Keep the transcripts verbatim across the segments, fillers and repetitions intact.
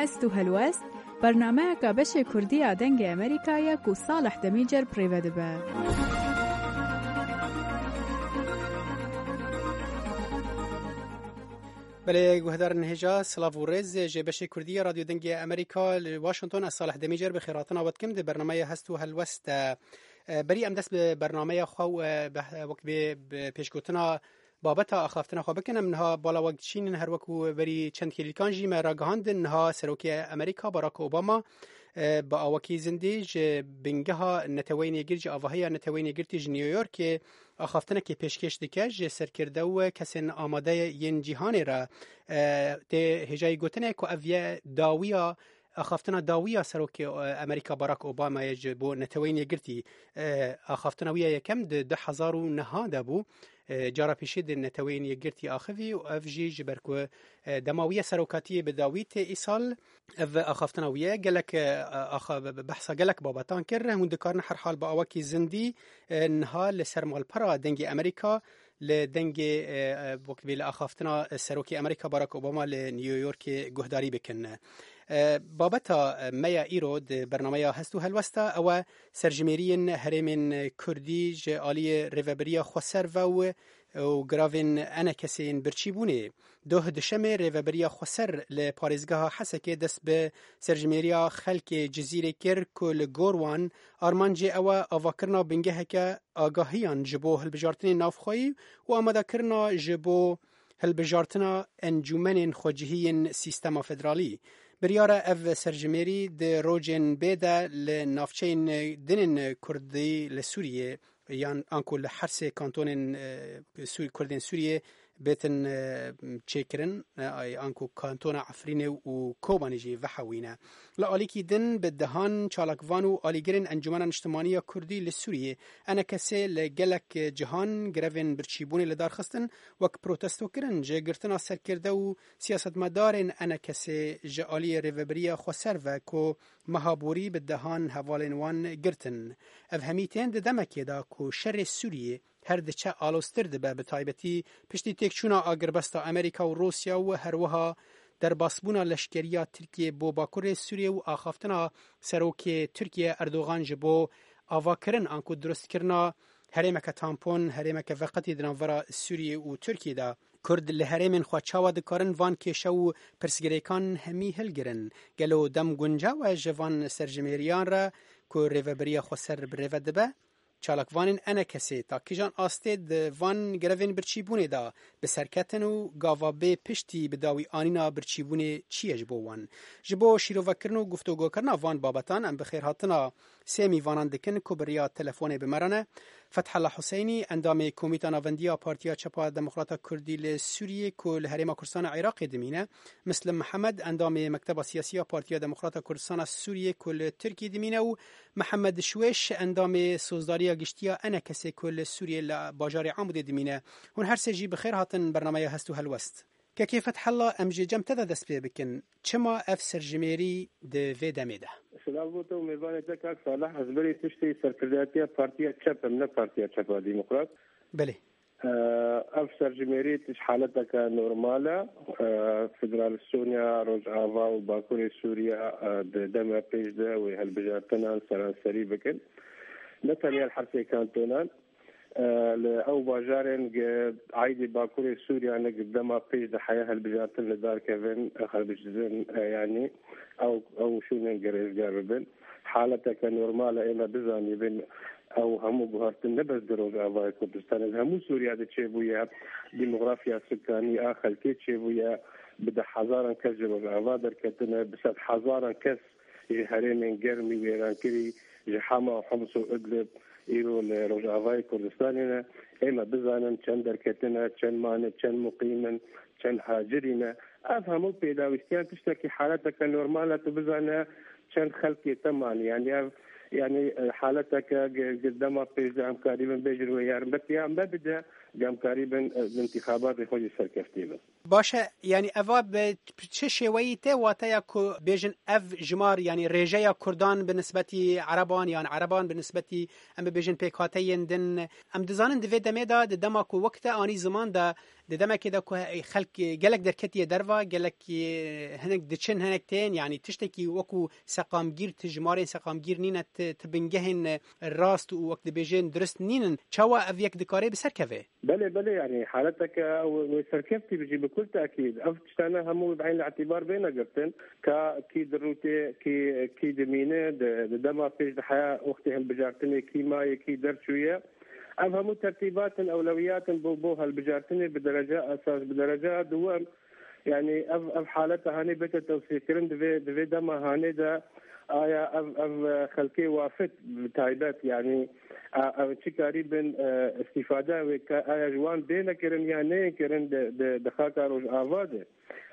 Hest û helwest, bernameyeka beşê Kurdî ya Dengê Amerîka ye ku Salih Demîcer bi rê ve dibe. Belê, guhdarên hêja, silav û rêz ji beşê Kurdî ya Radyo Dengê Amerîka li Washington. Ez Salih Demîcer bi xêrhatina we dikim di bernameya Hest û Helwest de. E, berî em dest bi bernameya xwe û, e, be-, wek bê bi pêşgotina babeta axaftina xwe bikin, em niha bala we diçînin, her wekû berî çend hêlîkan jî me ragihandin, niha Serokê Amerîka Barack Obama, e, bi awakî zindî ji bingeha Neteweyên Yekgirtî, ji avahiya Neteweyên Yekgirtî ji New Yorkê axaftinekê pêşkêş dike ji serkirde û kesên amade yên cîhanê re. E, tê hêjayî gotinê ku ev ye dawiya axaftina dawî ya Serokê, e, Amerîka Barack Obama ye ji bo Neteweyên Yekgirtî. E, axaftina wî ya yekem di du hezar û neh de bû. E, cara pêşî di Neteweyên Yekgirtî axivî û ev jî ji ber ku, e, dema wî ya serokatiyê bi dawî tê îsal. Ev axaftina wî ye gelek, e, axa-, behsa gelek babetan kir. Hûn dikarin herhal bi awakî zindî, e, niha li ser malpera Dengê Amerîka li dengê, e, e, wek bê li axaftina Serokê Amerîka Barack Obama li New Yorkê guhdarî bikin. E, babeta, e, me ya îro di bernameya Hest û Helwesta ew e serjimêriyên herêmên Kurdî ji aliyê Rêveberiya Xweser ve û, û giravên ENKSê yên birçîbûnê. Doh duşemê Rêveberiya Xweser li parêzgeha Hesekê dest bi serjimêriya xelkê Cizîrê kir ku li gor wan armancê ew e avakirina bingeheke agahiyan ji bo hilbijartinên navxweyî û amadekirina ji bo hilbijartina encûmenên xwecihî yên sîstema federalî. Biryar e ev serjimêrî di rojên bê de li navçeyên din ên Kurdî li Sûriyê yan anku li her sê kantonên, e, Sû-, Kurdên Sûriyê bêtin, e, çêkirin, e, ay anku kantona Efrînê û Kobanê jî vehewîne. Li alîkî din bi dehan çalakvan û alîgirên Encûmena Niştimanî ya Kurdî li Sûriyê, ENKSê, li gelek cihan grevên birçîbûnê li dar xistin, wek protestokirin ji girtina serkirde û siyasetmedarên ENKSê ji aliyê Rêveberiya Xweser ve ku meha borî bi dehan hevalên wan girtin. Ev hemî tên di demekê de ku şerê Sûriyê her diçe aloztir dibe, bi taybetî piştî têkçûna agirbesta Amerîka û Rûsya û herwiha derbasbûna leşkeriya Tirkiyê bo Bakurê Sûriyê û axaftina Serokê Tirkiye Erdogan ji bo avakirin anku durustkirina herêmeke tampon, herêmeke veqetî di navbera Sûriyê û Tirkiyê de. Kurd li herêmên xwe çawa dikarin van kêşe û pirsgirêkan hemî hilgirin? Gelo dem guncaw e ji van serjimêriyan re ku Rêveberiya Xweser bi rê ve dibe? Çalakvanên ENKSê ta kîjan astê di van grevên birçîbûnê de bi ser ketin û gava bê piştî bi dawî anîna birçîbûnê çi ye ji bo wan? Ji bo şîrovekirin û guftûgokirina van babetan em bi xêrhatina sê mîvanan dikin ku bi riya telefonê bi me re ne. Fethullah Huseynî, endamê Komîta Navendî ya Partiya Çep a Demokrata Kurdî li Sûriyê ku li Herêma Kurdistan a Iraqê dimîne, Mislim Mihemed, endamê Mekteba Siyasî ya Partiya Demokrata Kurdistan a Sûriyê ku li Tirkiyê dimîne û Mihemed Şwêş, endamê Sozdariya Giştî ya ENKSê ku li Sûriyê li bajarê Amûdê dimîne. Hûn her sê jî bi xêr hatin bernameya Hest û Helwest. Kekê Fethullah, em ji cem te de dest pê bikin. Çima ev serjimêrî di vê demê de? Silav bo te û mêvanê te, kak Salih. Ez berî piştî serkirdayetiya Partiya Çep im, ne Partiya Çep a Demokrat. Belê. Ev serjimêrî tişt haleteke normal e. Federalistonya Rojava û Bakurê Sûriye, e, di dema pêş de wê hilbijartinan seranserî bikin. Ne tenya li her sê kantonan, e, li ew bajarên gi aîdî Bakurê Sûriye ne gi dema pêş de heye hilbijartin li dar kevin, e, hilbijartin, e, yanî ew, ew şûnên gi rêzgar bibin. Haleteke normal e, ê me bizanîbin. Ew hemû guhertin ne bes di Rojavayê Kurdistanê, di hemû Sûriye de çêbûye. Demografiya sukanî a xelkê çêbûye. Bi deh hezaran kes ji Rojava derketine, bi sed hezaran kes ji herêmên germî wêrankirî, ji Hama û Homs û Idlib îro li Rojavayê Kurdistanê ne. Ê me bizanin çend derketine, çend mane, çend muqîm in, çend hacirî ne. Ev hemû pêdawîstiyan tiştekî haleteke normal e, tu bizane çend xelkê te mane. Yanî ev, yanî, e, haleteke gi-, gi dema pêş de em karîbin bêjin wê yarmetiya me bide, Gamkarî bin, e, di întîxabatê xwe jî serkeftî bin. Baş e, yanî eva bi çi şêweyî tê wateya ku bêjin ev jimar, yanî rêjeya Kurdan bi nisbetî Ereban yan Ereban bi nisbetî, em bibêjin, pêkhateyên din. Em dizanin di vê demê de, di dema ku wek te anî ziman de, di demekê de ku he-, xelk gelek derketiye derva, gelek, e, hinek diçin, hinek tên, yanî tiştekî wekû seqamgîr, ti jimarên seqamgîr nîne, ti, ti bingehên rast û wek dibêjin dirist nînin. Çawa ev yek dikare bi ser keve? Belê, belê, yanî haleteke wê, wê serkeftî bijî bi kul tekîd. Ev tiştane hemû bi eyn îtîbar bêne girtin. Ka kî dirûtê, kî, kî dimîne, di, di dema pêş de heya wextê hilbijartinê kî maye, kî derçûye. Ev hemû tertîbat in, ewlewiyat in bo, bo hilbijartinê bi dereca esas, bi dereca duwem. Yanî ev, ev haleta hanê bête tewsîkirin, di vê, di vê dema hanê de aya ev, ev, e, xelkê wafit bi taybet, yanî, a, ev çi karî bin, e, îstîfade wê ka aya ji wan bêne kirin ya neyên kirin di, di, di xaka Rojava de.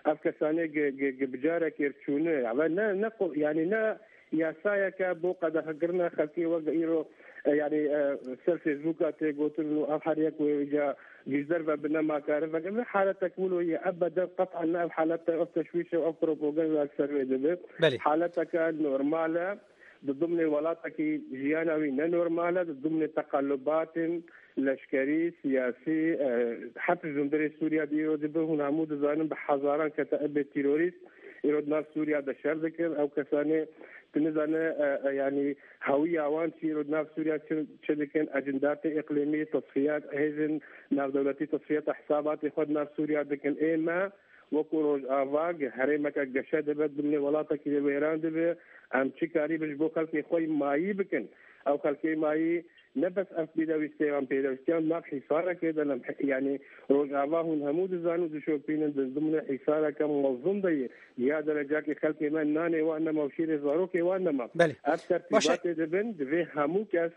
Ev kesanê gi, gi, gi bi carekê çûne, ya ve ne, ne qo-, yanî ne yasayeke bo qedexekirina xelkê weke îro, e, yanî, e, ser Facebooka tê gotin û ev her yek wê îca ji derve bi nema kare veke. Ev haletek wilo ye, ebeden qet'an ne ev halete, ev teşwîş e, ev propaganda li ser wê dibe. Belê. Haleteke normal e. Di dimnê welatekî jiyana wî ne normal e, di dimnê teqellubatên leşkerî, siyasî, e, heta ji hundirê Sûriya de îro dibe, hûn hemû dizanin bi hezaran ketebe terorîst îro di nav Sûriya de şer dikin. Ew kesanê tu nizane, e, e, yanî hewiya wan çi îro di nav Sûriya çi, çi dikin, ecindatê îqlîmî, tesfiyat, hêzên navdewletî tesfiyata hisabatê xwe di nav Sûriya dikin. Ê me wekû Rojava ge-, herêmeke geşe dibe, dimnê welatekî de wêran dibe. Em çi karî bin ji bo xelkê xwe mayî bikin? Ew xelkê mayî ne bes ev pêdewîstê wan, pêdewîstiyan nav hîsarekê de ne, yanî Rojava hûn hemû dizanin û dişopînin di dimnê hîsareke mezin de ye. Ya derecakê xelkê me nanê wan nema û şîrê zarokê wan nema. Belê. Ev Baş e. tertîbatê dibin, divê hemû kes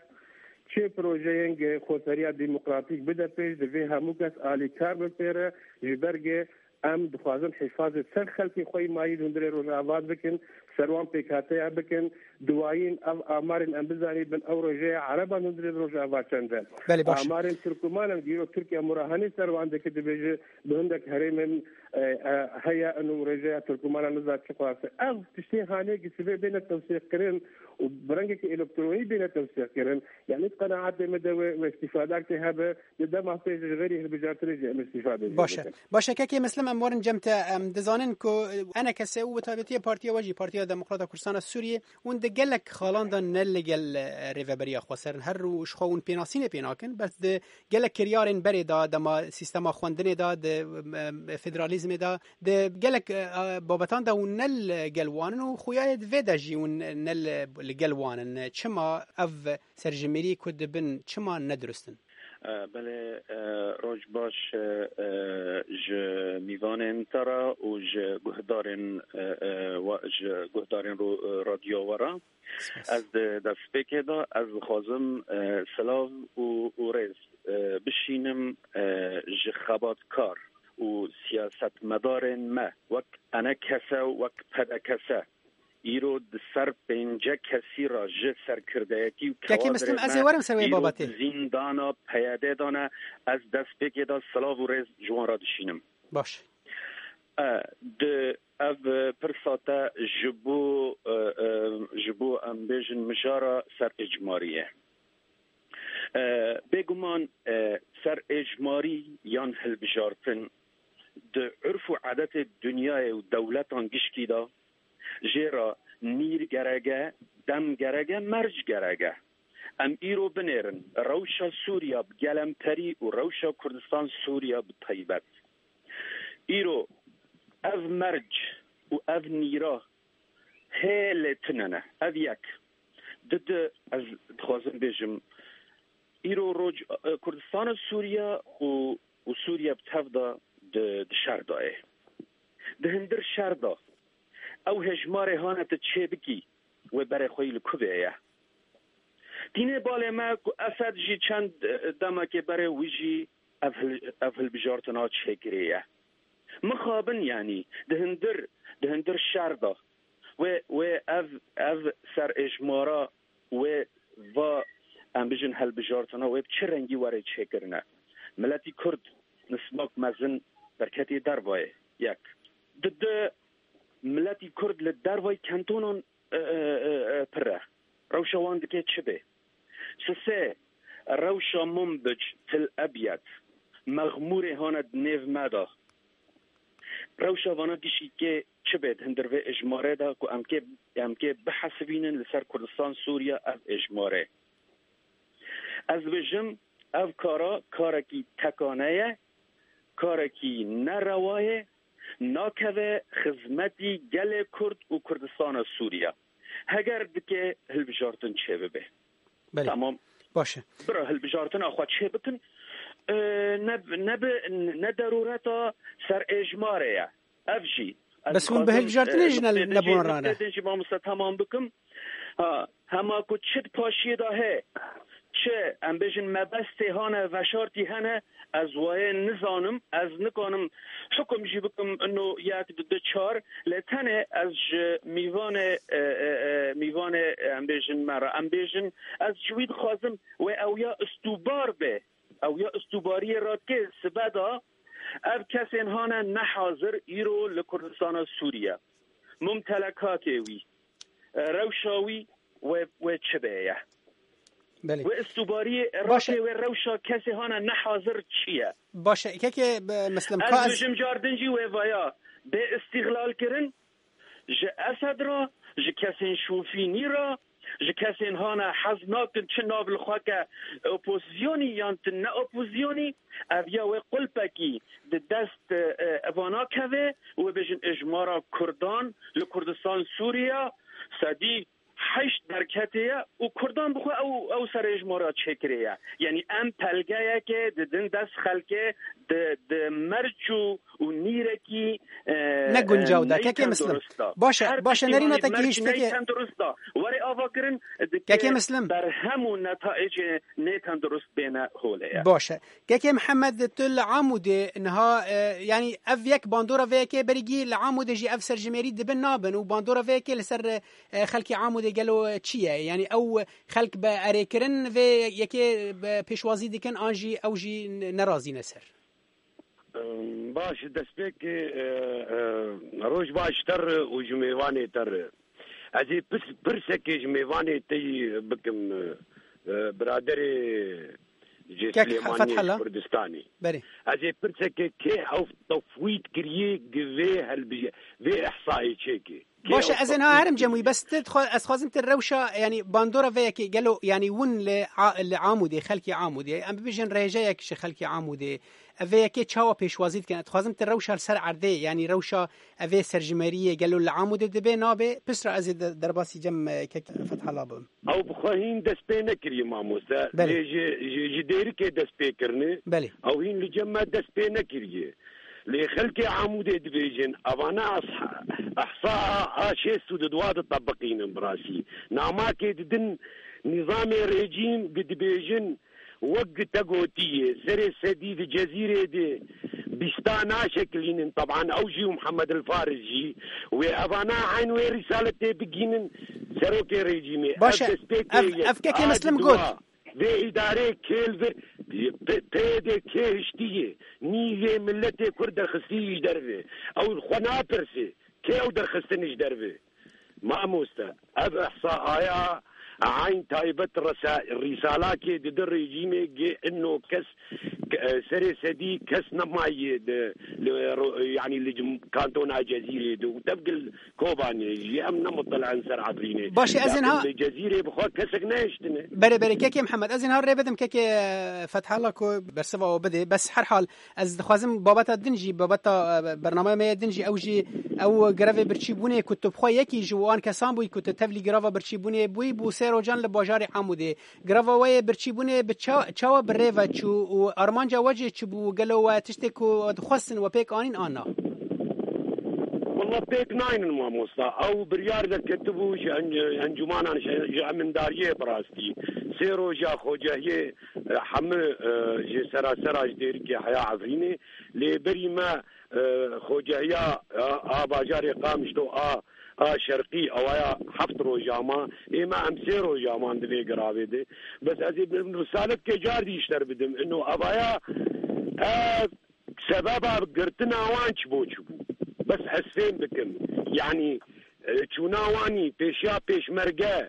çi projeyên ge-, xweseriya demokratîk bide pêş, divê hemû kes alîkar bin pê re, ji ber ge Em dixwazin hîfazê ser xelkê xwe yî mayî li hundirê Rojava bikin, ser wan pêkhateya bikin. Duwayîn ev amarên em bizanîbin, ew rêjeya Ereban hundirê Rojava çend e. Belê, baş e. Amarên Tirkumanan, dîro Tirkiye murahenê ser wan dike, dibêje bi hindek herêmên, e, e, heye û rêjeya Tirkumanan niza çi qas e. Ev tiştê hanê gi sibê bêne tewsîqkirin û bi rengekî elektronî bêne tewsîqkirin. Yanî di qenaetê me de wê, wê îstîfadek tê hebe, di dema pê jî ji xêrî hilbijartinê jî em îstîfade jê Baş e. bikin. Baş e, kekê Mislim, em werin cem te. Em dizanin ku E N K S û bi taybetî partiya we jî, Partiya Demokrata Kurdistana Sûriyê, hûn di gelek xalan de ne li gel, e, Rêveberiya Xweser in. Her û ji xwe hûn pênasînê pê nakin, bes di gelek kiryarên berê de, dema sîstema xwendinê de, di, e, federalîzmê de, di gelek, e, babetan de hûn ne li gel wan in û xuya ye di vê de jî hûn ne li, li gel wan in. Çima ev serjimêrî ku dibin, çima ne dirust in? E, belê, e, roj baş, e, e, ji mîvanên te re û ji guhdarên, e, e, wa-, ji guhdarên ro-, e, radyoya we re. Spas. Ez di destpêkê de ez dixwazim, e, silav û, û rêz, e, bişînim, e, ji xebatkar û siyasetmedarên me wek E N K S û wek P D K S. Îro di ser pêncî kesî re ji serkirdeyetî û Kekê Mislim, kewadrê ez ê me werim ser wê îro babatê. di zîndana P Y D de ne, ez destpêkê de silav û rêz ji wan re dişînim. Baş. E, di ev pirsa te ji bo, e, e, ji bo em bêjin mijara ser êcmarî ye. E, bêguman, e, ser êcmarî yan hilbijartin di urf û edetê dinyayê û dewletan gişkî de jê re nîr gerek e, dem gerek e, merc gerek e. Em îro binêrin rewşa Sûriya bi gelemperî û rewşa Kurdistan Sûriya bi taybet. Îro ev merc û ev nîra hê lê tune ne. Ev yek. Di di ez dixwazim bêjim, îro roj, e, Kurdistana Sûriya û, û Sûriya bi tev de di, di şer de ye. Di hindir şer de ew hejmarê hane tu çê bikî, wê berê xwe yî li ku vê ye? Tînê balê me ku Esed jî çend, e, demekê berê wî jî ev hil-, ev hilbijartina çêkirî ye. Mixabin, yanî di hindir, di hindir şer de wê, wê ev, ev serêjmara wê va, em bijin, hilbijartina wê bi çi rengî were çêkirine? Miletî Kurd nismak mezin derketî dervayê. Yek. Di du, miletî Kurd li dervayî kantonan, e, e, e, e, pir e. Rewşa wan dike çi bê? Sisê, rewşa Munbic, Til Ebyed, Mexmûrê hane di nêv me de. Rewşa vana gişîkê çi bê di hundir vê êjmarê de ku em kê, em kê bihesibînin li ser Kurdistan, Sûriye ev êjmarê? Ez dibêjim, ev kara karekî tekane ye, karekî nerewa ye, nakeve xizmetî gelê Kurd û Kurdistana Sûriye. Heger dike hilbijartin çêbibe. Belê. Tamam. Baş e. Bira hilbijartina xwe çê bikin. E, ne, ne bi, ne derûreta ser êjmarê ye. Ev jî. Ez Bes hûn bi dixwazim, hilbijartinê e, jî ne, nuqtê din jî, nebûn rane. Nuqtê din jî mamoste tamam bikim. Ha, hema ku çi di paşiyê de heye, çi, em bêjin, mebestê hane, veşartî hene, ez wayê nizanim, ez nikanim hukum jî bikim ino yek, di du, çar, lê tenê ez ji mîvanê, e, e, e, mîvanê, em bêjin, me re, em bêjin, ez ji wî dixwazim wê ew ya istûbar be, ew ya istûbariyê radikê sibe da, ev kesên hane nehazir îro li Kurdistana Sûriye. Mumtelekatê wî, e, rewşa wî wê, wê çi bê ye? Belê. Wê istûbariyê Baş e. Radikê wê rewşa kesê hane nehazir çi ye? Baş e. Kekê, e, Meslim, Ez ka ez dibêjim car din jî wê vaya bê îstîxlal kirin ji Esed re, ji kesên şofînî re, ji kesên hane hez nakin çi nav li xwe ke opozisyonî yan ti ne opozisyonî, ev ya wê qulpekî di dest, e, e, vana keve û bêjin êjmara Kurdan li Kurdistan Sûriye sedî heşt derketê ye û Kurdan bi xwe ew, ew ser êjmara çêkirê ye. Yanî em pelgeyekê didin dest xelkê di, di merç û, û nîrekî, e, Ne guncaw da, e, kekê Meslim. Neytendurist da. Baş e, Her baş e, tiştî nerîna wayî te merç gihîşt, kekê. Neytendurist da. Were ava kirin, dike Kekê Meslim. Berhem û netayecê neytendurist bêne holê ye. Baş e. Kekê Mihemed, tu li Amûdê niha, e, yanî ev yek bandora vê yekê berî gî li Amûdê jî ev serjimêrî dibin nabin û bandora vê yekê li ser, e, xelkê Amûdê gelo çi ye? Yanî ew xelk bi erêkirin vê yekê bi pêşwazî dikin an jî ew jî nerazî ne ser? Em, baş, destpêkê, e, e, roj baş te re û ji mêvanê te re. Ez ê pis-, pirsekê ji mêvanê te yî bikim, e, e, biraderê ji Kek Silêmaniyê, Fethala? Ji Kurdistanê. Belê. Ez ê pirsekê kê ew tefwît kiriye gi vê helbije-, vê ihsayê çêke? Kê Baş e, ew ez ê niha tefwît herim cem wî, kiriye? Bes tu dixwa-, ez dixwazim tu rewşa, yanî bandora vê yekê gelo, yanî win li A-, li Amûdê, xelkê Amûdê, em bibêjin rêjeyek ji xelkê Amûdê, ev vê yekê çawa pêşwazî dikin? Ez dixwazim tu rewşa li ser erdê, yanî rewşa evê serjimêriyê gelo li Amûdê dibe, nabe? Piştre ez ê de-, derbasî cem, e, kek Fethala bim. Ew bi xwe hîn dest pê nekiriye, mamoste. Belê. Lê ji, ji, ji dêrikê dest pê kirine. Belê. Ew hîn li cem me dest pê nekiriye. Lê xelkê Amûdê dibêjin, evana ehsa a, a şêst û du ditebiqînin bi rastî. Namakê didin nîzamê rejîm gi dibêjin, wek gi te gotiye, serê sedî di Cezîrê de bîsta naşekilînin. Teban ew jî û Mihemed El Faris jî wê evana eyn wê rîsaletê bigînin serokê rejîmê. Baş e, Ev destpêkê ev, yek. Ev kekê A Meslim diduwa. Got. Vê îdareyê kêl vir, P-, PYD kê hiştiye, nîvê miletê Kurd derxistî ji derve. Ew xwe napirse, kê ew derxistin ji derve? Mamoste, ev ihsa aya eyn taybet resa-, rîsalakê didi rejîmê gê ino kes, e, serê sedî kes nemaye di, li ro-, yanî li cim-, kantona Cezîrê de û tevgil Kobanê jî em ne muttila in ser Efrînê. Baş e, ez ê Lakin niha li Cezîrê bi xwe kesek nehiştine. Berê, berê, kekê Mihemed, ez ê niha rê bidim kekê, e, Fethala ku bersiva we bidê. Bes her hal, ez dixwazim babeta din jî, babeta, e, bernameya me ya din jî, ew jî, ew grevê birçîbûnê ku tu bi xwe yekî ji wan kesan bûyî ku tu tevlî greva birçîbûnê bûyî, bû sê rojan li bajarê Amûdê. Greva we yê birçîbûnê bi ça-, çawa bi rê ve çû û armanca we jî çi bû? Gelo we tiştê ku dixwestin we pêk anîn an na? Wela pêk naynin mamosta. Ew biryar derketibû ji en-, encûmanan, ji, ji emindariyê bi rastî. Sê roja xocehiyê, e, hemû, e, ji serasera ji dêrikê heya Efrînê. Lê berî me, e, xocehiya, e, a bajarê Qamişlo a, a şerqî, ewaya heft roja ma. Ê me em sê roja man di vê giravê de. Bes ez ê bi risalet ke car dî ji te re bidim. Ino evaya Ev sebeba girtina wan çi bo çi bû? Bes ez fêm bikim. Yanî, e, çûna wanî pêşiya pêşmerge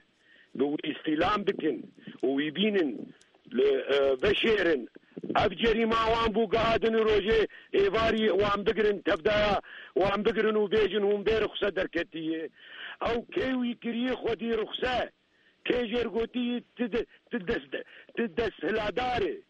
bi wî îstîlam bikin û wî bînin li, e, veşêrin. Ev cerîma wan bû, giha din rojê êvarî wan bigirin, tevdaya wan bigirin û bêjin hûn bê ruxse derketiyê. Ew kê wî kiriye xwedî ruxse? Kê jêr gotî tu de-, tu dest-, tu desthiladar î?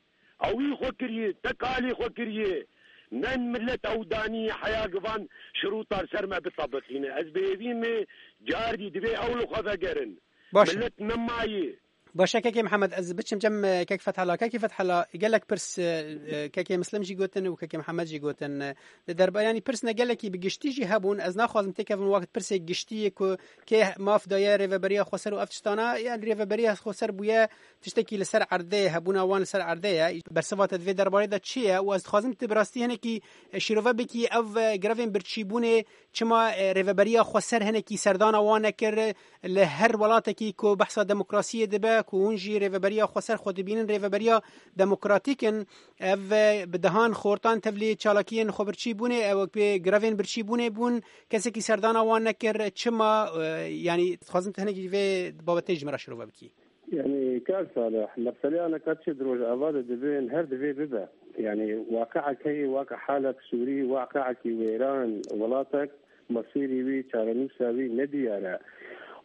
Ew wî xwe kiriye, te kalî xwe kiriye. Ne millet ew danî heya givan şirûta li ser me bitebiqîne. Ez bi hêvî me cardî divê ew li xwe vegerin. Baş e. Millet nemayê. Baş e, Kekê Mihemed, ez biçim cem, e, Kek Fethela. Kekê Fethela, gelek pirs, e, e, Kekê Mislim jî gotin û Kekê Mihemed jî gotin. E, li derba-, yanî pirs ne gelekî bi giştî jî hebûn. Ez naxwazim têkevim wext pirsê giştî yê ku kê maf daye rêveberiya xweser û ev tiştana, yanî rêveberiya xweser bûye tiştekî li ser erdê, hebûna wan li ser erdê ye. Bersiva te di vê derbarê de çi ye? Û ez dixwazim tu bi rastî hinekî, e, şîrove bikî ev, e, grevên birçîbûnê çima, e, rêveberiya xweser hinekî serdana wan nekir, e, li her welatekî ku behsa demokrasiyê dibe, ku hûn jî rêveberiya xweser xwe dibînin, rêveberiya demokratîk in, ev, e, bi dehan xortan tevlî çalakiyên xwebirçîbûnê, ew wek pê grevên birçîbûnê bûn, kesekî serdana wan nekir, çima, e, yanî dixwazim tu hinekî vê babetê ji min re şirove bikî. Yani, Kar Salih, meseleya neka çi di Rojava de dibin, her divê bibe. Yani, waqi'ek heye, waqi halek Sûrî, waqi'ekî wêran, welatek, mesîrî wî, çarenûsa wî nediyar e.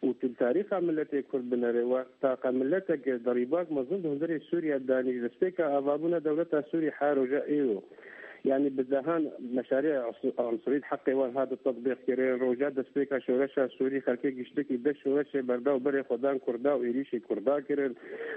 Û tu li tarîxa miletê Kurd binere, we taqa miletek derîbak mezin di hundirê Sûriye danî, ji destpêka avabûna dewleta Sûrî her roja êro. Yani, bi dehan meşarê us-, unsurî di heqê wan hat tetbîqkirin. Roja destpêka şoreşa Sûrî xelkê giştekî dest şoreşê berda û berê xwe dan Kurda û êrîşê Kurda kirin.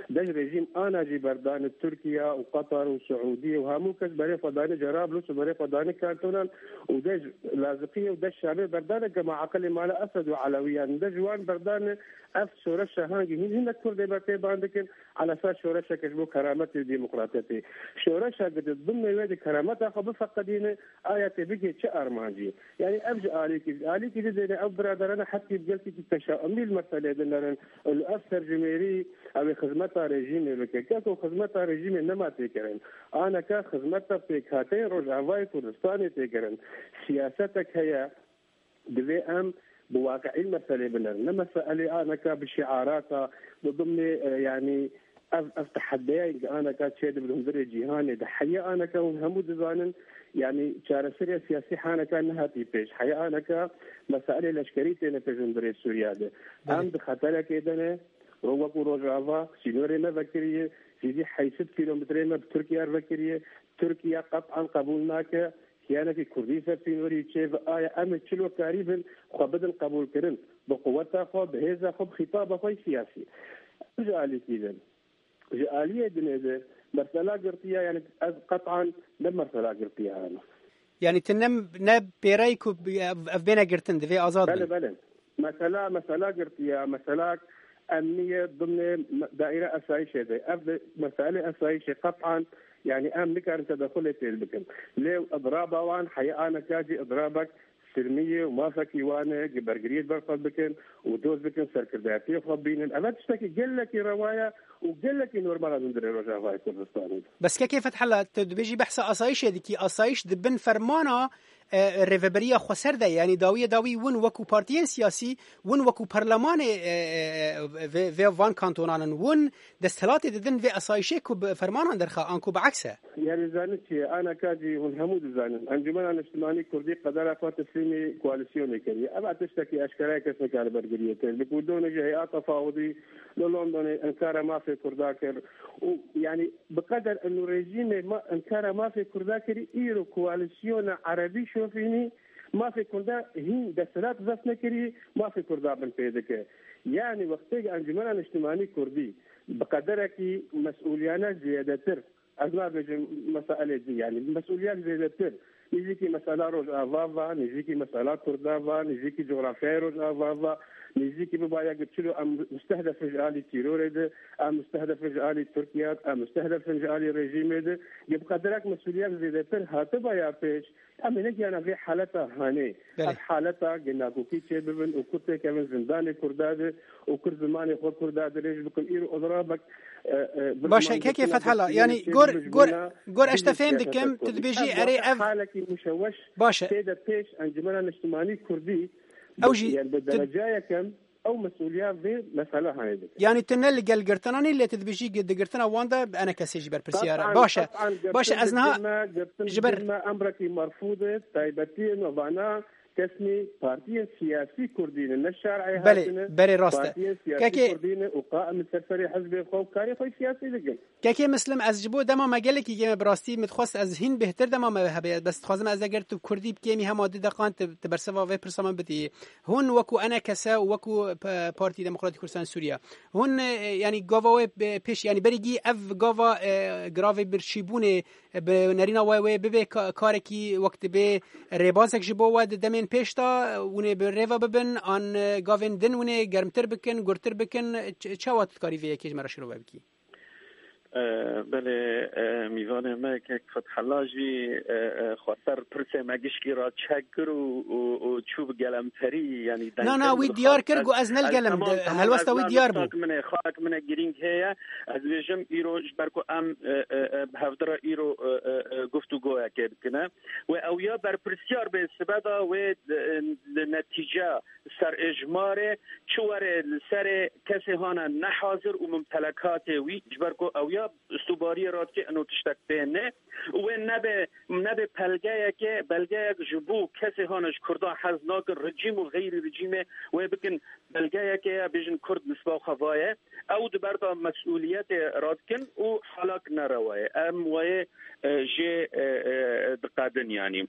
Dest rejîm ana jî berdane Tirkiye û Qatar û Siûdiye û hemû kes berê xwe dane Cerablus û berê xwe dane Kantonan û dest Laziqiyê û dest Şamê berdane gema aqilê mala Esed û Elewiyan. Dest ji wan berdane ev şoreşa hangî hîn hinek Kurdê berpêban dikin. Ala ser şoreşeke ji bo kerametê û demokratiyetê. Şoreşa ku di bin wê de kerameta xwe bifeqidîne, aya tê bigê çi armancî? Yani ev ji alîkî, ji alîkî didêne ev biraderane hetî bi gelkî teşaumî li meselê dinerin. Li ev serjimêrî ew ê xizmeta rejîmê bike. Keko xizmeta rejîmê nema têkirin. Aneka xizmeta pêkhateyên Rojavayê Kurdistanê têkirin. Siyasetek heye, divê em bi waqi'î meselê binerin. Ne meselê aneka bi şiarata, bi dimnê, e, yanî ev, ev tehedeyayên ki aneka çêdibin hundirê cîhanê de. Heye aneka hûn hemû dizanin, yanî çareseriya siyasî haneka nehatî pêş. Heye aneka meselê leşkerî têne pêş hundirê Sûriye de. Belê. Em di xeterekê de ne, ro-, wekû Rojava, sînorê me vekiriye, zîdî heyşt kîlometrê me bi Tirkiye re vekiriye. Tirkiye qet'an qebûl nake. Kiyanekî Kurdî ser sînorî çêve aye, em ê çilo karî bin xwe bidin qebûlkirin, bi quweta xwe, bi hêza xwe, bi xîtaba xwe yê siyasî. Ji alîkî de, ji aliyê dinê de, mesela girtiya, yani ez qet'an ne mesela girtiya hene. Yani tu ne, ne pêrey ku ev, ev bêne girtin, divê azad bin. Belê, belê. Mesela, mesela girtiya, mesela emniye dimnê daîre esayîşê de. Ev de meselê esayîşê qet'an, yani em nikarin tedexulê tê bikin. Lê idraba wan heye aneka jî idrabek silmiyê û mafekî wan e, gi bergiriyê berxwe bikin û doz bikin, serkirdayetiyê xwe bînin. Ev tiştekî gelekî rewa ye û gelekî normal e hundirê Rojavayê Kurdistanê. Bes kekê Fethela, tu dibêjî behsa asayîşê dikî. Asayîş di bin fermana e, rêveberiya xweser de, yanî dawiyê dawî win wekû partiyên siyasî, win wekû perlemanê, e, e, e, vê, vê van kantonan in, win desthilatê didin vê asayîşê ku bi fermanan derxe, anku bi eks e. Yani zanî çi ye? Aneka jî hûn hemû dizanin. Encûmena Niştimanî Kurdî qedera xwe teslîmî koalîsyonê kiriye. Ev tiştekî eşkere ye, kes nikare bergiriyê tê. Bi ku donê ji hey'a tefawidî li Londonê inkara mafê Kurda kir. Û yani Bi qeder eno rejîmê ma inkara mafê Kurda kirî, îro koalîsyona erebî şofînî mafê Kurda hîn desthilat zeft nekirî, mafê Kurda bin pê dike. Yanî wextê Encûmena Niştimanî Kurdî bi qederekî mesûliyane zêdetir, ez nabêjim meselê din, yanî mesûliyet zêdetir, nêzîkî mesela Rojava va, nêzîkî mesela Kurda va, nêzîkî cografyayê Rojava va, nêzîkî bibaye gi çilo em mustehdef in ji alî tîrorê de, em mustehdef in ji alî Tirkiye de, em mustehdef in ji alî rejîmê de, gi bi qederek mesûliyet zêdetir hatiba ya pêş, em ê negihana vê haleta hanê. Belê. Ev haleta gi nakokî çêbibin û Kurd têkevin zindanê Kurda de û Kurd zimanê xwe Kurda dirêj bikin. Îro odrabek Baş e, kekê Fethela, yanî gor, gor, gor ez te fêm dikim, tu dibêjî erê ev. Halekî muşeweş baş e. Tê de pêş Encumena Niştimanî Kurdî, ew jî, yani bi tu derecayekem ew mesûliya vê mesela hanê dike. Yanî tu ne li gel girtinan î, lê tu dibêjî gi-, di girtina wan de enekesê jî berpirsiyar e. Qet'an, baş e. Qet'an, baş e, girtin ez niha girme, girtin ji ber girme emrekî merfûd e, taybetiyê navana kesmî partiyên siyasî Kurdî ne, ne şer'ê Belê, hatine, berê rast e. Partiyên siyasî Kekê Kurdî ne û qaim li ser serê hizbê xwe û karê xwe siyasî dikin. Kekê Mislim, ez ji bo dema me gelekî kêm e, bi rastî min dixwest ez hîn bêhtir dema me hebe, bes dixwazim ez eger tu kurdî bikêmî hema du deqan tu, tu bersiva vê pirsa min bidî. Hûn wekû enekese û wekû P-, Partî Demokratîk Kurdistan Sûriye, hûn, e, yanî gava wê, e, pêş, yanî berî gî ev gava, e, giravê birçîbûnê, e, bi nerîna we wê bibe ka-, karekî wek dibe rêbazek ji bo we di demên pêş de, hûn ê bi rêve bibin, an, e, gavên din hûn ê germtir bikin, gurtir bikin, ç-, çawa tu dikarî vê yekê ji me re şirove bikî? E, belê, e, mîvanê me kek Fethela jî, e, e, xweser pirsê me gişkî re çek kir û, û, û çû bi gelemperî, yanî Na, na, dengtir wî min diyar xwest kir, ez, got, "Ez ne li ez, gel im." Temam, De-, tamam, helwesta ez wî na diyar bû. Min ê, xak min ê, girîng heye. Ez dibêjim îro ji ber ku em, e, e, e, bi hevdira îro, e, e, e, guftûgoyekê bikine. Wê ew ya berpirsiyar bê, sibe da wê, e, li netîce serêjmarê çi were li serê kesê hane nehazir û mumtelekatê wî, ji ber ku ew ya sûbariyê radikê ino tiştek pê ne û wê nebe, nebe pelgeyeke, belgeyek ji bo kesê hane ji Kurdan hez nakin, rejîm û xeyrî rejîmê wê bikin belgeyeke ya bêjin Kurd nisba xwe vaye. Ew di ber de mesûliyetê radikin û halak nerewa ye. Em wayê, e, jê, e, e, diqedin yanî.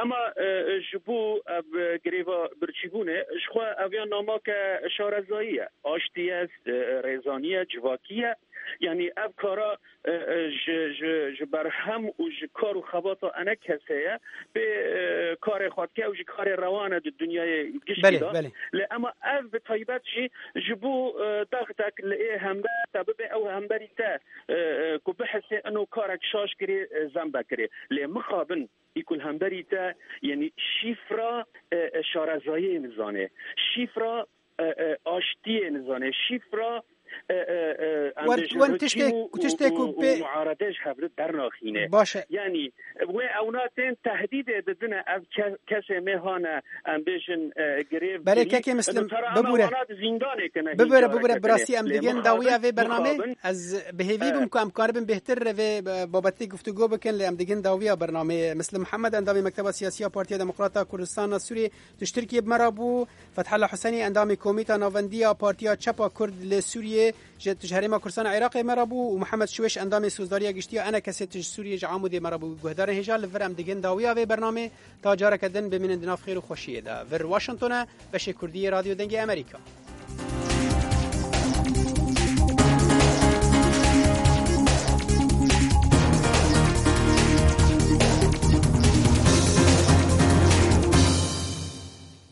Ema, e, ji bo ev, e, greva birçîbûnê, ji xwe ev ya namake şarezayî ye. Aştî ye, e, rêzanî ye, civakî ye. Yanî ev kara, e, e, ji, ji, ji berhem û ji kar û xebata enekesê ye. Pê, e, karê xwe dike û ji karê rewan e di dinyayê giştî Belê, de. Belê. Lê ema ev bi taybet jî ji bo, e, dexdek li ê hember te bibe, ew hemberî te, e, e, ku bihise ino karek şaş kirê, e, zembe kirê. Lê mixabin î ku li hemberî te, yanî şîfra, e, e, şarezayiyê nizane. Şîfra, e, e, aştiyê nizane. Şîfra, e, e, e, em Wer-, bêjin wen rejîm tiştê, û, tiştê û, ku û pê muarede ji hev re dernaxîne. Baş e. Yanî, wê ewna tên tehdîdê didine ev ke-, kesê mêhane, em bêjin, e, grev Belê, kirî. Kekê Mislim, Û tera em bibûre. Wana di zîndanê kine Bibûre, hîn bibûre, carekê bi rastî em Lê digin dawiya mixabin, vê bernamê. mixabin, Ez bi hêvî e, bûm ku em karibin bêhtir vê, e, babetkê guftûgo bikin, lê em digin dawiya bernameyê. Mislim Mihemed, endamê Mekteba Siyasî ya Partiya Demokrata Kurdistana Sûriyê, tu ji Tirkiyê bi me re bû. Fethullah Husenî, endamê Komîta Navendî ya Partiya Çep a Kurd li Sûriyê, ji, tu ji Herêma Kurdistan a Iraqê me re bû û Mihemed Şiwêş, endamê Sozdariya Giştî ya Enekesê, tu ji Sûriyê, ji Amûdê me re bû. Guhdarên hêja, li vir em digin dawiya vê bernamê. Ta careke din bimînin di nav xêr û xweşiyê de. Vir Washington e, beşê Kurdî yê Radyo Dengê Amerîka.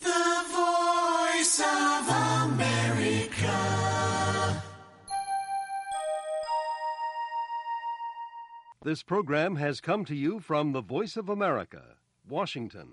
The Voice of America. This program has come to you from the Voice of America, Washington.